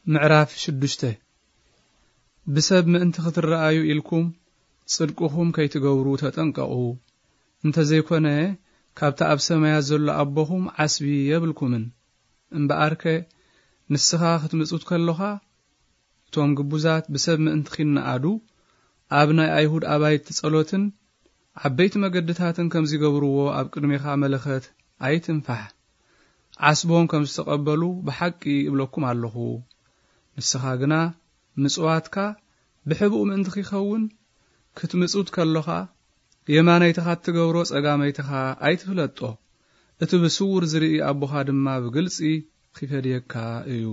ምዕራፍ ሽዱሽተ። ብሰብ ምእንቲ ክትረኣዩ ኢልኩም ጽድቅኹም ከይትገብሩ ተጠንቀቑ። እንተ ዘይኮነ፣ ካብቲ ኣብ ሰማያት ዘሎ ኣቦኹም ዓስቢ የብልኩምን። እምበኣርከ፣ ንስኻ ክትምጹት ከሎኻ፣ እቶም ግቡዛት ብሰብ ምእንቲ ኺነኣዱ፣ ኣብ ናይ ኣይሁድ ኣባይቲ ጸሎትን ዓበይቲ መገድታትን ከም ዚገብርዎ ኣብ ቅድሜኻ መለኸት ኣይትንፋሕ። ዓስቦም ከም ዝተቐበሉ ብሓቂ እብለኩም ኣለኹ። ንስኻ ግና ምጽዋትካ ብሕቡእ ምእንቲ ኺኸውን፣ ክትምጹት ከሎኻ፣ የማነይትኻ እትገብሮ ጸጋመይትኻ ኣይትፍለጦ። እቲ ብስውር ዝርኢ ኣቦኻ ድማ ብግልጺ ኺፈድየካ እዩ።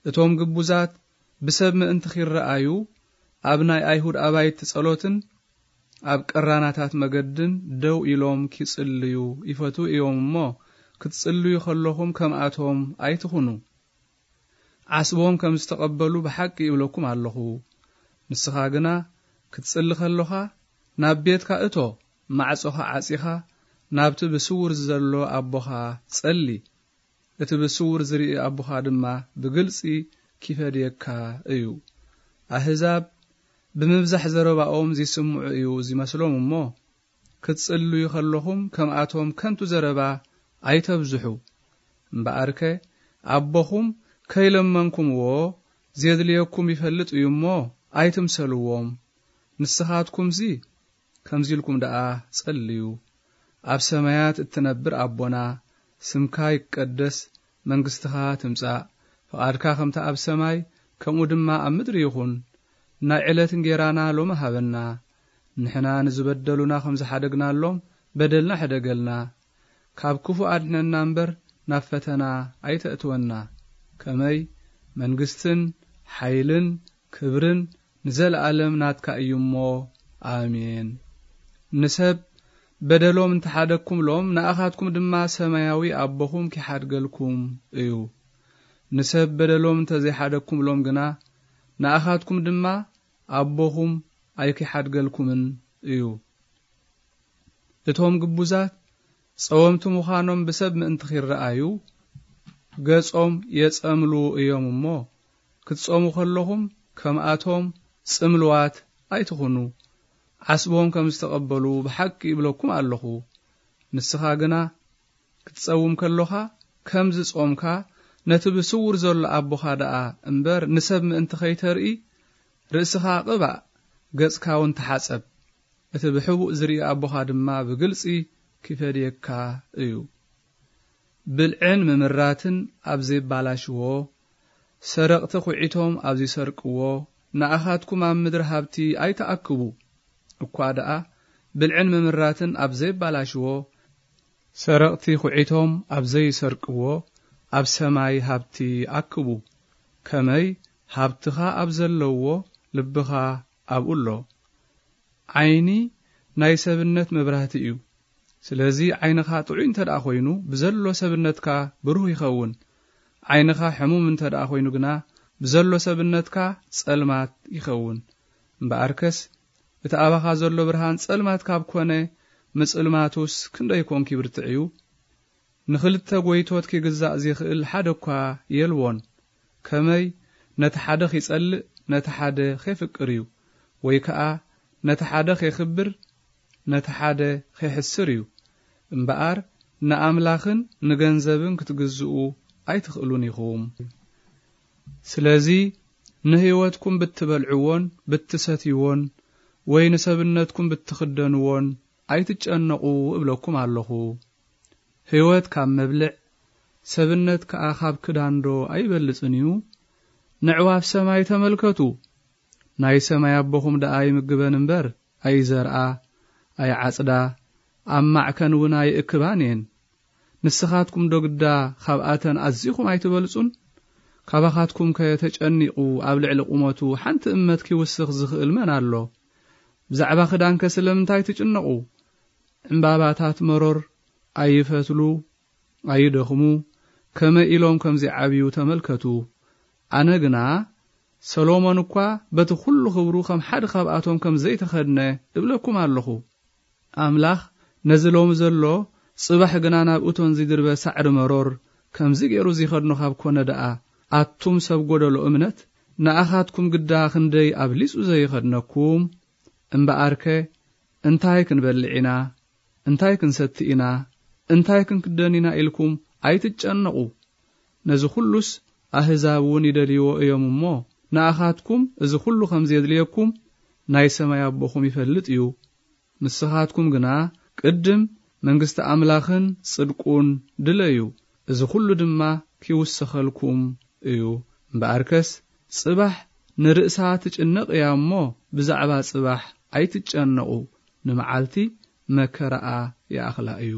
እቶም ግቡዛት ብሰብ ምእንቲ ኺረኣዩ፣ ኣብ ናይ ኣይሁድ ኣባይቲ ጸሎትን ኣብ ቀራናታት መገድን ደው ኢሎም ኪጽልዩ ይፈትዉ እዮም እሞ፣ ክትጽልዩ ከለኹም ከምኣቶም ኣይትኹኑ። ዓስቦም ከም ዝተቐበሉ ብሓቂ ይብለኩም ኣለኹ። ንስኻ ግና ክትጽሊ ከሎኻ፣ ናብ ቤትካ እቶ፣ ማዕጾኻ ዓጺኻ፣ ናብቲ ብስውር ዘሎ ኣቦኻ ጸሊ። እቲ ብስውር ዝርኢ ኣቦኻ ድማ ብግልጺ ኪፈድየካ እዩ። ኣህዛብ ብምብዛሕ ዘረባኦም ዚስምዑ እዩ ዚመስሎም እሞ፣ ክትጽልዩ ከለኹም ከምኣቶም ከንቱ ዘረባ ኣይተብዝሑ። እምበኣርከ፣ ኣቦኹም ከይለመንኩምዎ ዜድልየኩም ይፈልጥ እዩ እሞ፣ ኣይትምሰልዎም። ንስኻትኩምሲ ከምዚ ኢልኩም ደኣ ጸልዩ። ኣብ ሰማያት እትነብር ኣቦና፣ ስምካ ይቀደስ፣ መንግስትኻ ትምጻእ፣ ፍቓድካ ከምቲ ኣብ ሰማይ፣ ከምኡ ድማ ኣብ ምድሪ ይኹን። ናይ ዕለት እንጌራና ሎሚ ሃበና። ንሕና ንዝበደሉና ከም ዝሓደግናሎም፣ በደልና ሕደገልና። ካብ ክፉእ ኣድሕነና እምበር፣ ናብ ፈተና ኣይተእትወና። ከመይ መንግስትን ሓይልን ክብርን ንዘለኣለም ናትካ እዩ እሞ፣ ኣሜን። ንሰብ በደሎም እንተሓደግኩምሎም፣ ንኣኻትኩም ድማ ሰማያዊ ኣቦኹም ኪሓድገልኩም እዩ። ንሰብ በደሎም እንተዘይሓደግኩምሎም ግና፣ ንኣኻትኩም ድማ ኣቦኹም ኣይኪሓድገልኩምን እዩ። እቶም ግቡዛት ጸወምቲ ምዃኖም ብሰብ ምእንቲ ኺረኣዩ፣ ገጾም የጸምሉ እዮም እሞ፣ ክትጸሙ ከለኹም ከምኣቶም ጽምልዋት ኣይትኹኑ። ዓስቦም ከም ዝተቐበሉ ብሓቂ ይብለኩም ኣለኹ። ንስኻ ግና ክትጸውም ከሎኻ፣ ከም ዝጾምካ ነቲ ብስውር ዘሎ ኣቦኻ ደኣ እምበር፣ ንሰብ ምእንቲ ኸይተርኢ፣ ርእስኻ ቅባእ፣ ገጽካ እውን ተሓጸብ። እቲ ብሕቡእ ዝርኢ ኣቦኻ ድማ ብግልጺ ኪፈድየካ እዩ። ብልዕን ምምራትን ኣብ ዜባላሽዎ፣ ሰረቕቲ ኹዒቶም ኣብ ዚሰርቅዎ፣ ንኣኻትኩም ኣብ ምድሪ ሃብቲ ኣይትኣክቡ። እኳ ደኣ ብልዕን ምምራትን ኣብ ዜባላሽዎ፣ ሰረቕቲ ኹዒቶም ኣብ ዘይሰርቅዎ፣ ኣብ ሰማይ ሃብቲ ኣክቡ። ከመይ ሃብትኻ ኣብ ዘለውዎ፣ ልብኻ ኣብኡ ኣሎ። ዓይኒ ናይ ሰብነት መብራህቲ እዩ። ስለዚ ዓይንኻ ጥዑይ እንተ ደኣ ኾይኑ፣ ብዘሎ ሰብነትካ ብሩህ ይኸውን። ዓይንኻ ሕሙም እንተ ደኣ ኾይኑ ግና፣ ብዘሎ ሰብነትካ ጸልማት ይኸውን። እምበኣርከስ፣ እቲ ኣባኻ ዘሎ ብርሃን ጸልማት ካብ ኮነ፣ ምጽልማቱስ ክንደይ ኮንኪ ብርትዕ እዩ? ንኽልተ ጐይቶት ኪግዛእ ዚኽእል ሓደ እኳ የልቦን። ከመይ ነቲ ሓደ ኺጸልእ፣ ነቲ ሓደ ኼፍቅር እዩ፣ ወይ ከኣ ነቲ ሓደ ኼኽብር፣ ነቲ ሓደ ኼሕስር እዩ። እምበኣር፣ ንኣምላኽን ንገንዘብን ክትግዝኡ ኣይትኽእሉን ኢኹም። ስለዚ፣ ንህይወትኩም ብትበልዕዎን ብትሰትይዎን፣ ወይ ንሰብነትኩም ብትኽደንዎን ኣይትጨነቑ እብለኩም ኣለኹ። ህይወት ካብ መብልዕ፣ ሰብነት ከኣ ካብ ክዳንዶ ኣይበልጽን እዩ? ነዕዋፍ ሰማይ ተመልከቱ። ናይ ሰማይ ኣቦኹም ደኣ ይምግበን እምበር፣ ኣይዘርኣ፣ ኣይዓጽዳ፣ ኣብ ማዕከን እውን ኣይእክባን እየን። ንስኻትኩም ዶ ግዳ ካብኣተን ኣዚኹም ኣይትበልጹን? ካባኻትኩምከ ተጨኒቑ ኣብ ልዕሊ ቁመቱ ሓንቲ እመት ኪውስኽ ዝኽእል መን ኣሎ? ብዛዕባ ክዳንከ ስለምንታይ ትጭነቑ? ዕምባባታት መሮር ኣይፈትሉ፣ ኣይደኽሙ፣ ከመይ ኢሎም ከም ዚዓብዩ ተመልከቱ። ኣነ ግና፣ ሰሎሞን እኳ በቲ ኹሉ ኽብሩ ኸም ሓደ ኻብኣቶም ከም ዘይተኸድነ እብለኩም ኣለኹ። ኣምላኽ ነዚ ሎሚ ዘሎ፣ ጽባሕ ግና ናብ እቶን ዚድርበ ሳዕሪ መሮር ከምዚ ገይሩ ዚኸድኖ ኻብ ኮነ ደኣ፣ ኣቱም ሰብ ጎደሎ እምነት፣ ንኣኻትኩም ግዳ ክንደይ ኣብሊጹ ዘይኸድነኩም። እምበኣርከ እንታይ ክንበልዕ ኢና፣ እንታይ ክንሰቲ ኢና፣ እንታይ ክንክደን ኢና ኢልኩም ኣይትጨነቑ። ነዚ ኹሉስ ኣህዛብ እውን ይደልይዎ እዮም እሞ፣ ንኣኻትኩም እዚ ኹሉ ከም ዘድልየኩም ናይ ሰማይ ኣቦኹም ይፈልጥ እዩ። ንስኻትኩም ግና ቅድም መንግስቲ ኣምላኽን ጽድቁን ድለዩ፣ እዚ ኹሉ ድማ ኪውሰኸልኩም እዩ። እምበኣርከስ ጽባሕ ንርእሳ ትጭነቕ እያ እሞ፣ ብዛዕባ ጽባሕ ኣይትጨነቑ፣ ንመዓልቲ መከራኣ ይኣኽላ እዩ።